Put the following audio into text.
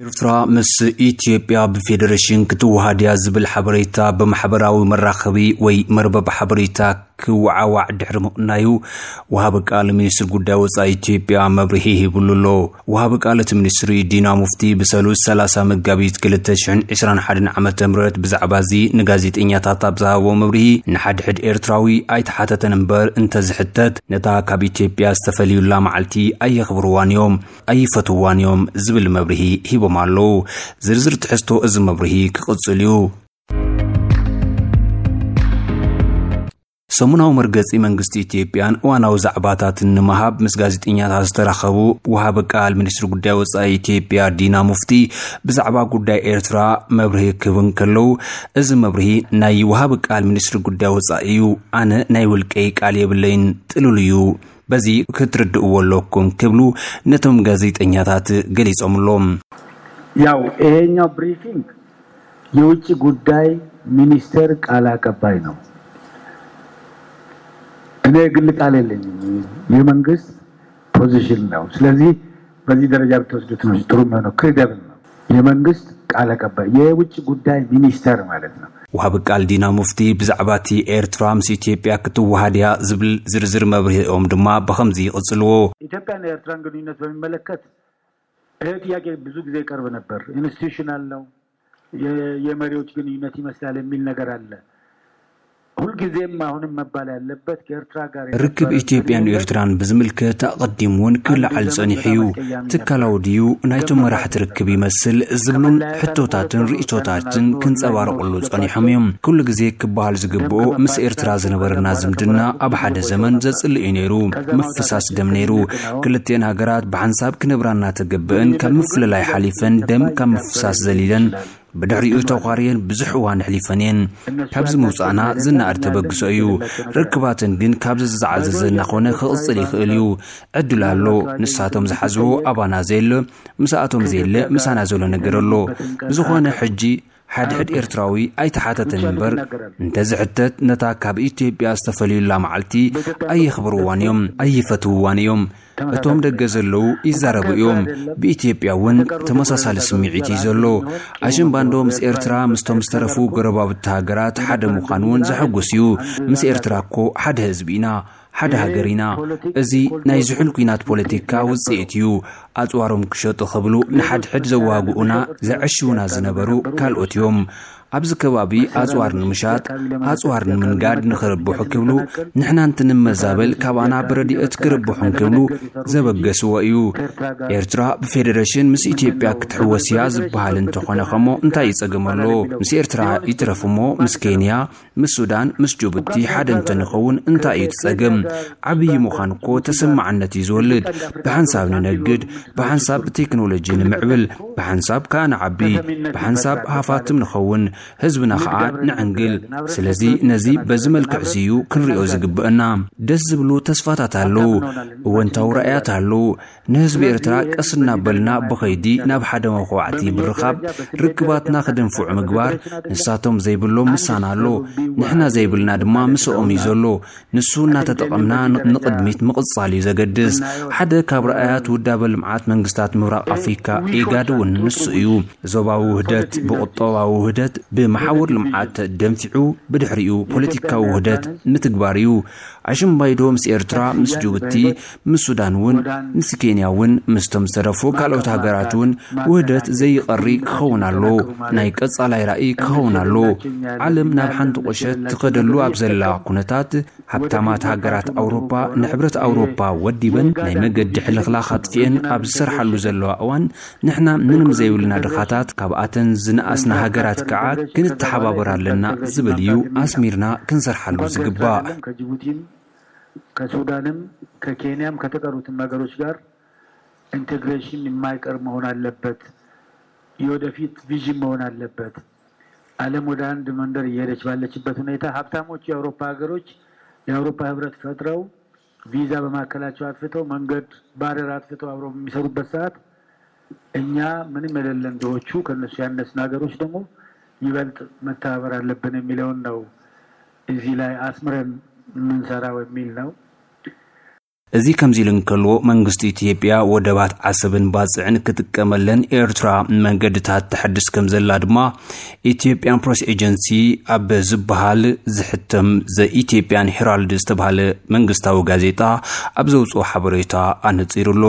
ኤርትራ ምስ ኢትዮጵያ ብፌደሬሽን ክትወሃድ እያ ዝብል ሓበሬታ ብማሕበራዊ መራኸቢ ወይ መርበብ ሓበሬታ ክወዓዋዕ ድሕሪ ምቕናዩ፣ ወሃቢ ቃል ሚኒስትሪ ጉዳይ ወጻኢ ኢትዮጵያ መብርሂ ሂብሉ ኣሎ። ወሃቢ ቃል እቲ ሚኒስትሪ ዲና ሙፍቲ ብሰሉስ ሰላሳ መጋቢት ክልተ ሽሕን ዕስራን ሓደን ዓመተ ምህረት ብዛዕባ እዚ ንጋዜጠኛታት ኣብ ዝሃቦ መብርሂ፣ ንሓድሕድ ኤርትራዊ ኣይተሓተተን እምበር እንተዝሕተት፣ ነታ ካብ ኢትዮጵያ ዝተፈልዩላ መዓልቲ ኣየኽብርዋን እዮም፣ ኣይፈትውዋን እዮም ዝብል መብርሂ ሂቦም ኣለዉ። ዝርዝር ትሕዝቶ እዚ መብርሂ ክቕጽል እዩ። ሰሙናዊ መርገጺ መንግስቲ ኢትዮጵያን እዋናዊ ዛዕባታትን ንምሃብ ምስ ጋዜጠኛታት ዝተራኸቡ ወሃቢ ቃል ሚኒስትሪ ጉዳይ ወጻኢ ኢትዮጵያ ዲና ሙፍቲ ብዛዕባ ጉዳይ ኤርትራ መብርሂ ክህቡ እንከለዉ፣ እዚ መብርሂ ናይ ወሃቢ ቃል ሚኒስትሪ ጉዳይ ወጻኢ እዩ። ኣነ ናይ ውልቀይ ቃል የብለይን፣ ጥሉል እዩ። በዚ ክትርድእዎ ኣለኩም ክብሉ ነቶም ጋዜጠኛታት ገሊጾምሎም። ያው ይሄኛው ብሪፊንግ የውጭ ጉዳይ ሚኒስቴር ቃል አቀባይ ነው። እኔ ግል ቃል የለኝም፣ የመንግስት ፖዚሽን ነው። ስለዚህ በዚህ ደረጃ ብትወስዱት ነው ጥሩ የሚሆነው። ክሬዲብል ነው። የመንግስት ቃል አቀባይ፣ የውጭ ጉዳይ ሚኒስቴር ማለት ነው። ወሃቢ ቃል ዲና ሙፍቲ ብዛዕባ እቲ ኤርትራ ምስ ኢትዮጵያ ክትወሃድ እያ ዝብል ዝርዝር መብርሂኦም ድማ ብኸምዚ ይቕጽልዎ። ኢትዮጵያን ኤርትራን ግንኙነት በሚመለከት ይሄ ጥያቄ ብዙ ጊዜ ይቀርብ ነበር። ኢንስቲቱሽናል ነው፣ የመሪዎች ግንኙነት ይመስላል የሚል ነገር አለ። ሁልጊዜም አሁንም መባል ያለበት ከኤርትራ ጋር ርክብ ኢትዮጵያን ኤርትራን ብዝምልከት ኣቐዲሙ እውን ክለዓል ጸኒሑ እዩ። ትካላዊ ድዩ ናይቶም መራሕቲ ርክብ ይመስል ዝብሉን ሕቶታትን ርእቶታትን ክንጸባረቑሉ ጸኒሖም እዮም። ኩሉ ግዜ ክበሃል ዝግብኦ ምስ ኤርትራ ዝነበረና ዝምድና ኣብ ሓደ ዘመን ዘጽልእ እዩ ነይሩ። ምፍሳስ ደም ነይሩ። ክልቲኤን ሃገራት ብሓንሳብ ክነብራ እናተገብአን ካብ ምፍልላይ ሓሊፈን ደም ካብ ምፍሳስ ዘሊለን ብድሕሪኡ ተዃርየን ብዙሕ እዋን ኣሕሊፈን እየን። ካብዚ ምውጻእና ዝነኣድ ተበግሶ እዩ። ርክባተን ግን ካብዚ ዝዓዘዘ እናኾነ ክቕጽል ይኽእል እዩ። ዕድል ኣሎ። ንሳቶም ዝሓዝዎ ኣባና ዘየለ፣ ምስኣቶም ዘየለ ምሳና ዘሎ ነገር ኣሎ። ብዝኾነ ሕጂ ሓድሕድ ኤርትራዊ ኣይተሓተተን እምበር እንተዝሕተት ነታ ካብ ኢትዮጵያ ዝተፈልዩላ መዓልቲ ኣየኽብርዋን እዮም፣ ኣይፈትውዋን እዮም። እቶም ደገ ዘለዉ ይዛረቡ እዮም። ብኢትዮጵያ እውን ተመሳሳሊ ስምዒት እዩ ዘሎ። ኣሽምባንዶ ምስ ኤርትራ ምስቶም ዝተረፉ ጎረባብቲ ሃገራት ሓደ ምዃን እውን ዘሐጉስ እዩ። ምስ ኤርትራ እኮ ሓደ ህዝቢ ኢና፣ ሓደ ሃገር ኢና። እዚ ናይ ዝሑል ኲናት ፖለቲካ ውጽኢት እዩ። ኣጽዋሮም ክሸጡ ክብሉ ንሓድሕድ ዘዋግኡና ዘዐሽዉና ዝነበሩ ካልኦት እዮም። ኣብዚ ከባቢ ኣጽዋር ንምሻጥ፣ ኣጽዋር ንምንጋድ ንኽርብሑ ክብሉ ንሕና እንትንመዛበል ካባና ብረድኤት ክርብሑ እንክብሉ ዘበገስዎ እዩ። ኤርትራ ብፌደሬሽን ምስ ኢትዮጵያ ክትሕወስ እያ ዝበሃል እንተኾነ ከሞ እንታይ እዩ ጸገም ኣሎ? ምስ ኤርትራ ይትረፍ እሞ ምስ ኬንያ፣ ምስ ሱዳን፣ ምስ ጅቡቲ ሓደ እንተንኸውን እንታይ እዩ እቲ ጸገም? ዓብዪ ምዃን እኮ ተሰማዕነት እዩ ዝወልድ። ብሓንሳብ ንነግድ፣ ብሓንሳብ ብቴክኖሎጂ ንምዕብል፣ ብሓንሳብ ከኣ ንዓቢ፣ ብሓንሳብ ሃፋትም ንኸውን፣ ህዝብና ከኣ ንዕንግል። ስለዚ ነዚ በዚ መልክዕ እዚ እዩ ክንሪኦ ዝግብአና። ደስ ዝብሉ ተስፋታት ኣለዉ፣ እወንታዊ ራእያት ኣለዉ። ንህዝቢ ኤርትራ ቀስ እናበልና ብኸይዲ ናብ ሓደ መኹባዕቲ ብምርኻብ ርክባትና ክድንፍዑ ምግባር። ንሳቶም ዘይብሎም ምሳና ኣሎ፣ ንሕና ዘይብልና ድማ ምስኦም እዩ ዘሎ። ንሱ እናተጠቐምና ንቕድሚት ምቕጻል እዩ ዘገድስ። ሓደ ካብ ራእያት ውዳበ ልምዓት መንግስታት ምብራቕ ኣፍሪካ ኢጋድ እውን ንሱ እዩ። ዞባዊ ውህደት ብቁጠባዊ ውህደት ብመሓውር ልምዓት ደንፊዑ ብድሕሪኡ ፖለቲካዊ ውህደት ምትግባር እዩ። ኣሽምባይዶ ምስ ኤርትራ፣ ምስ ጅቡቲ፣ ምስ ሱዳን እውን፣ ምስ ኬንያ እውን፣ ምስቶም ዝተረፉ ካልኦት ሃገራት እውን ውህደት ዘይቐሪ ክኸውን ኣሎ። ናይ ቀጻላይ ራእይ ክኸውን ኣሎ። ዓለም ናብ ሓንቲ ቁሸት ትኸደሉ ኣብ ዘላ ኩነታት፣ ሃብታማት ሃገራት ኣውሮፓ ንሕብረት ኣውሮፓ ወዲበን ናይ መገዲ ሕልኽላኽ ኣጥፊአን ኣብ ዝሰርሓሉ ዘለዋ እዋን፣ ንሕና ምንም ዘይብልና ድኻታት፣ ካብኣተን ዝነኣስና ሃገራት ከዓ ክንተሓባበር ኣለና ዝብል እዩ ኣስሚርና ክንሰርሓሉ ዝግባእ። ከጅቡቲም ከሱዳንም ከኬንያም ከተቀሩትም ሀገሮች ጋር ኢንቴግሬሽን የማይቀር መሆን አለበት። የወደፊት ቪዥን መሆን አለበት። ዓለም ወደ አንድ መንደር እየሄደች ባለችበት ሁኔታ ሀብታሞቹ የአውሮፓ ሀገሮች የአውሮፓ ህብረት ፈጥረው ቪዛ በማካከላቸው አጥፍተው መንገድ ባረር አጥፍተው አብረው በሚሰሩበት ሰዓት እኛ ምንም የሌለን ድሆቹ ከነሱ ያነስን ሀገሮች ደግሞ ይበልጥ መተባበር አለብን የሚለውን ነው እዚህ ላይ አስምረን የምንሰራው የሚል ነው። እዚ ከምዚ ኢሉ እንከሎ፣ መንግስቲ ኢትዮጵያ ወደባት ዓሰብን ባጽዕን ክጥቀመለን ኤርትራ መንገድታት ተሐድስ ከም ዘላ ድማ ኢትዮጵያን ፕሬስ ኤጀንሲ ኣብ ዝበሃል ዝሕተም ዘ ኢትዮጵያን ሄራልድ ዝተባሃለ መንግስታዊ ጋዜጣ ኣብ ዘውፅኦ ሓበሬታ ኣነፂሩ ኣሎ።